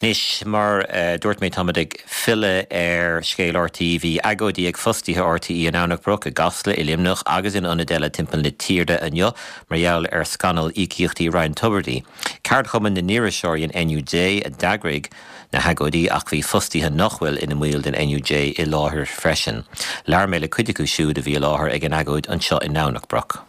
Anois, mar a dúirt mé, táimid ag filleadh ar scéal RTÉ. Bhí agóidí ag fostaithe RTÉ i nDomhnach Broc, i gCasla, i Luimneach agus in ionaid eile timpeall na tíre inniu mar gheall ar scannal íocaíochtaí Ryan Tubridy. Ceardchumann na n-iriseoirí, an NUJ, a d'eagraigh na hagóidí ach bhí fostaithe nach bhfuil ina mbaill den NUJ i láthair freisin. Labhair mé le cuid acu siúd a bhí i láthair ag an agóid anseo i nDomhnach Broc.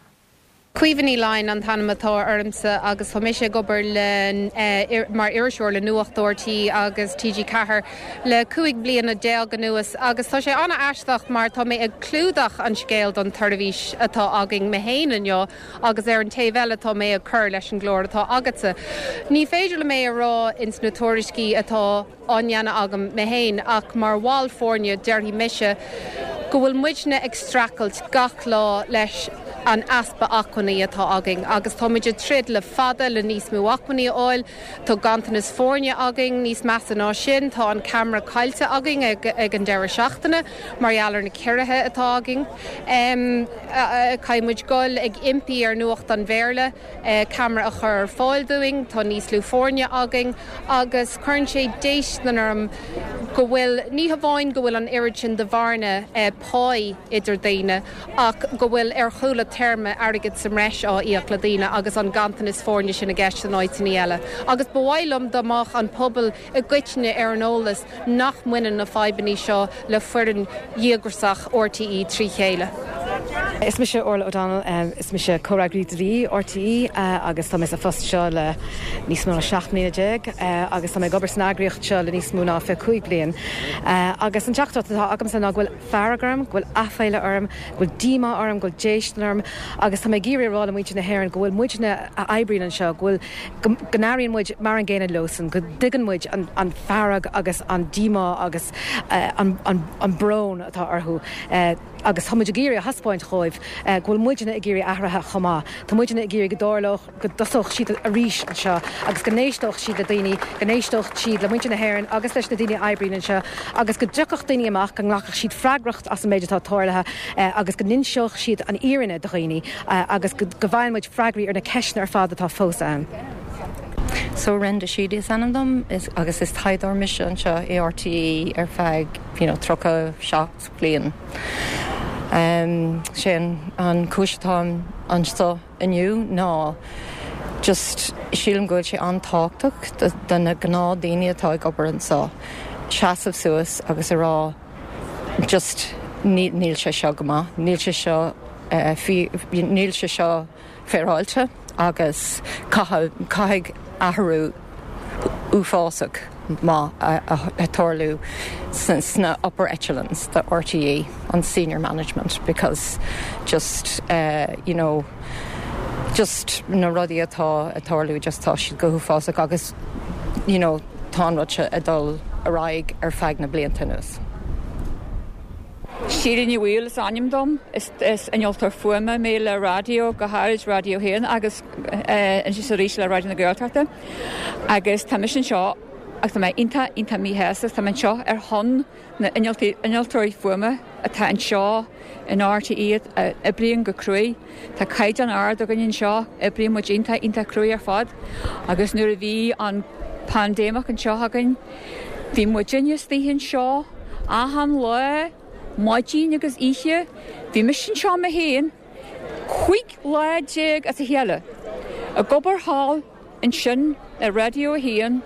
Caoimhe Ní Laighin an t-ainm atá ormsa agus tá mise ag obair le mar iriseoir le Nuacht RTÉ agus TG4 le 15 bliana anuas agus tá sé an-aisteach mar tá mé ag clúdach an scéil don tseirbhís atá againn mé féin inniu agus ar an taobh eile tá mé ag cur leis an gclár atá agatsa. Ní féidir liom é a rá ins na tuairiscí atá á ndéanamh agam mé féin ach mar bhall foirne déarfaidh mise go bhfuil muidne ag streachailt gach lá leis an easpa acmhainní atá againn agus tá muid ag troid le fada le níos mó acmhainní a fháil. Tá ganntanas foirne againn, níos measa ná sin tá an ceamara caillte againn ag an deireadh seachtaine mar gheall ar na ciorruithe atá againn. Caithfidh muid dul ag impí ar Nuacht an Bhéarla. ceamara a chur ar fáil dúinn, tá níos lú foirne againn agus cuireann sé déistin orm go bhfuil, ní hamháin go bhfuil an oiread sin de bhearna páí idir daoine ach go bhfuil ar chúla téarma airgead sa mbreis á íoc le daoine agus an ganntanas foirne sin i gceist in áiteanna eile. Agus ba mhaith liom dá mbeadh an pobal i gcoitinne ar an eolas nach mbaineann na fadhbanna seo le foireann dhíograiseach RTÉ trí chéile. Is mise Orla O'Donnell, is mise Comhfhreagraí Dlí RTÉ agus tá mé sa phost seo le níos mó ná 17 mbliana agus tá mé ag obair san eagraíocht seo le níos mó ná 25 bliain. Agus an teachtaireacht atá agamsa ná go bhfuil fearg orm, go bhfuil aiféala orm, go bhfuil díomá orm, go bhfuil déistin orm agus tá mé ag iarraidh a rá le muintir na hÉireann go bhfuil muidne a oibríonn anseo, go bhfuil go n-airíonn muid mar an gcéanna leosan, go dtuigeann muid an fearg agus an díomá agus an brón atá orthu agus tá muid ag iarraidh a thaispeáint dhóibh go bhfuil muidne ag iarraidh athraithe chomh maith. Tá muidne ag iarraidh go dtarlódh, go dtosódh siad arís anseo agus go n-éisteodh siad le daoine, go n-éisteodh siad le muintir na hÉireann agus leis na daoine a oibríonn anseo agus go dtiocfadh daoine amach, go nglacfadh siad freagracht as an méid atá tarlaithe agus go n-inseodh siad an fhírinne do dhaoine agus go bhfaigheann muid freagraí ar na ceisteanna ar fad atá fós ann. So Renda Sheedy is ainm dom agus is taighdeoir mise anseo i RTÉ ar feadh you know 37 bliain. Sé an cúis atáim anseo inniu ná just sílim go bhfuil sé an-tábhachtach do na gnáthdaoine atá ag obair anseo seasamh suas agus a rá just níl sé seo go maith, níl sé seo níl sé seo féaráilte agus caithfidh athrú uafásach maith a tarlú sna upper echelons de RTÉ, an senior management because just you know just na rudaí atá ag tarlú just tá siad go huafásach agus you know tá an rud seo ag dul ar aghaidh ar feadh na blianta anuas. Síle Ní Bhaoill is ainm dom. Is innealtóir fuaime mé le raidió, go háirid Raidió 1 agus anois arís le Raidió na Gaeltachta. Agus tá mise anseo agus tá mé iontach, iontach míshásta. Tá mé anseo ar shon na n-innealtóirí fuaime atá anseo in RTÉ a oibríonn go cruaidh. Tá caighdeán ard againn anseo, oibríonn muid iontach, iontach cruaidh ar fad. Agus nuair a bhí an paindéimeach anseo againn, bhí muidinne istigh anseo achan lá, maidin agus oíche. Bhí mise anseo mé féin 15 lá as a chéile ag obair thall ansin i Raidió 1.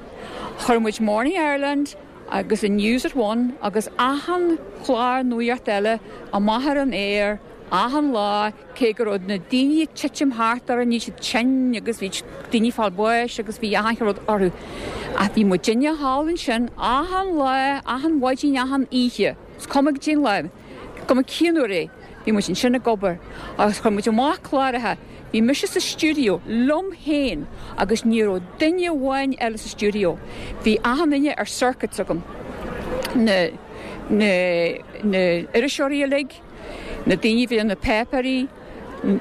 Chuir muid Morning Ireland agus an News at One agus achan chlár nuaíocht eile amach ar an aer achan lá cé go raibh na daoine ag titim thart orainn, bhí siad tinn agus bhí daoine ag fáil bháis agus bhí achan rud orthu. Ach bhí muidinne thall ansin achan lá, achan mhaidin, achan oíche, is cuma goidé an lá, cuma cén uair é, bhí muid ansin ag obair agus chuir muid amach cláracha. Bhí mise sa stiúideo liom féin agus ní raibh duine amháin eile sa stiúideo. Bhí achan duine ar circuits agam, na, na, na iriseoirí uilig, na daoine a bhí ar na páipéirí,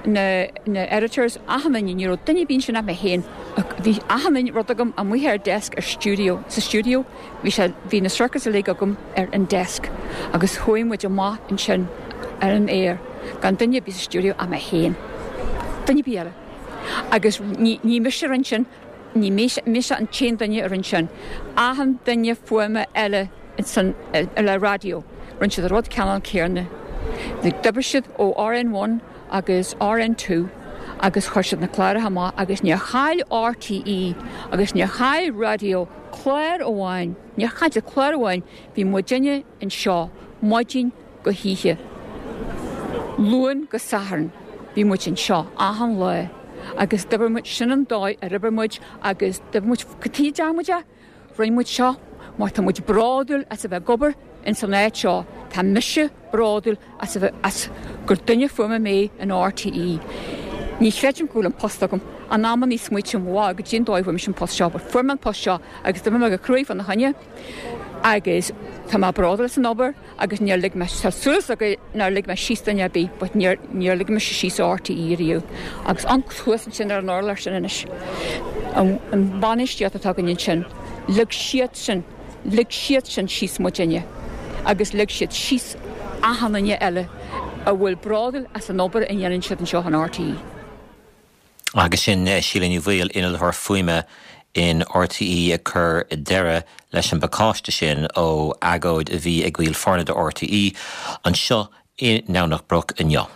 na, na editors, achan duine, ní raibh duine ar bith ansin ach mé féin. Bhí achan duine, rud agam amuigh ar desk ar stiúideo, sa stiúideo, bhí sé, bhí na circuits uilig agam ar an desk agus chuaigh muid amach ansin ar an aer gan duine ar bith sa stiúideo ach mé féin. Duine ar bith eile. Agus ní, ní mise a rinne sin. Ní mise an t-aon duine a rinne sin. Achan duine fuaime eile san le raidió, rinne siad an rud ceannann céanna. D'oibrigh siad ó RN1 agus RN2 agus chuir siad na cláracha amach agus níor chaill RTÉ agus níor chaill raidió clár amháin, níor chaill siad clár amháin, bhí muidinne anseo maidin go hoíche, Luan go Satharn, bhí muid anseo achan lá agus d'oibir muid, sin an dóigh ar oibir muid agus d'oibir muid, cad chuige a dtearn muid é? Rinne muid seo mar tá muid bródúil as a bheith ag obair ins an áit seo, tá mise bródúil as a bheith, as gur duine fuaime mé in RTÉ. Ní chreidim go bhfuil an post agam. In amannaí smaoitím, wow, goidé an dóigh a bhfuair mise an post seo, but fuair mé an post seo agus d'oibir mé go cruaidh fána choinne agus tá mé bródúil as an obair agus níor lig mé, tá súil agam nár lig mé síos duine ar bith but níor, níor lig mise síos RTÉ riamh. Agus an thuas ansin ar an urlár sin anois, an, an bhainistíocht atá againn ansin, lig siad sin, lig siad sin síos muidinne agus lig siad síos achan duine eile a bhfuil bródúil as an obair a dhéanann siad anseo in RTÉ. Agus sin Síle Ní Bhaoill, innealtóir fuaime in RTÉ ag cur deireadh leis an bpacáiste sin ó agóid a bhí ag baill foirne de RTÉ anseo i nDomhnach Broc inniu.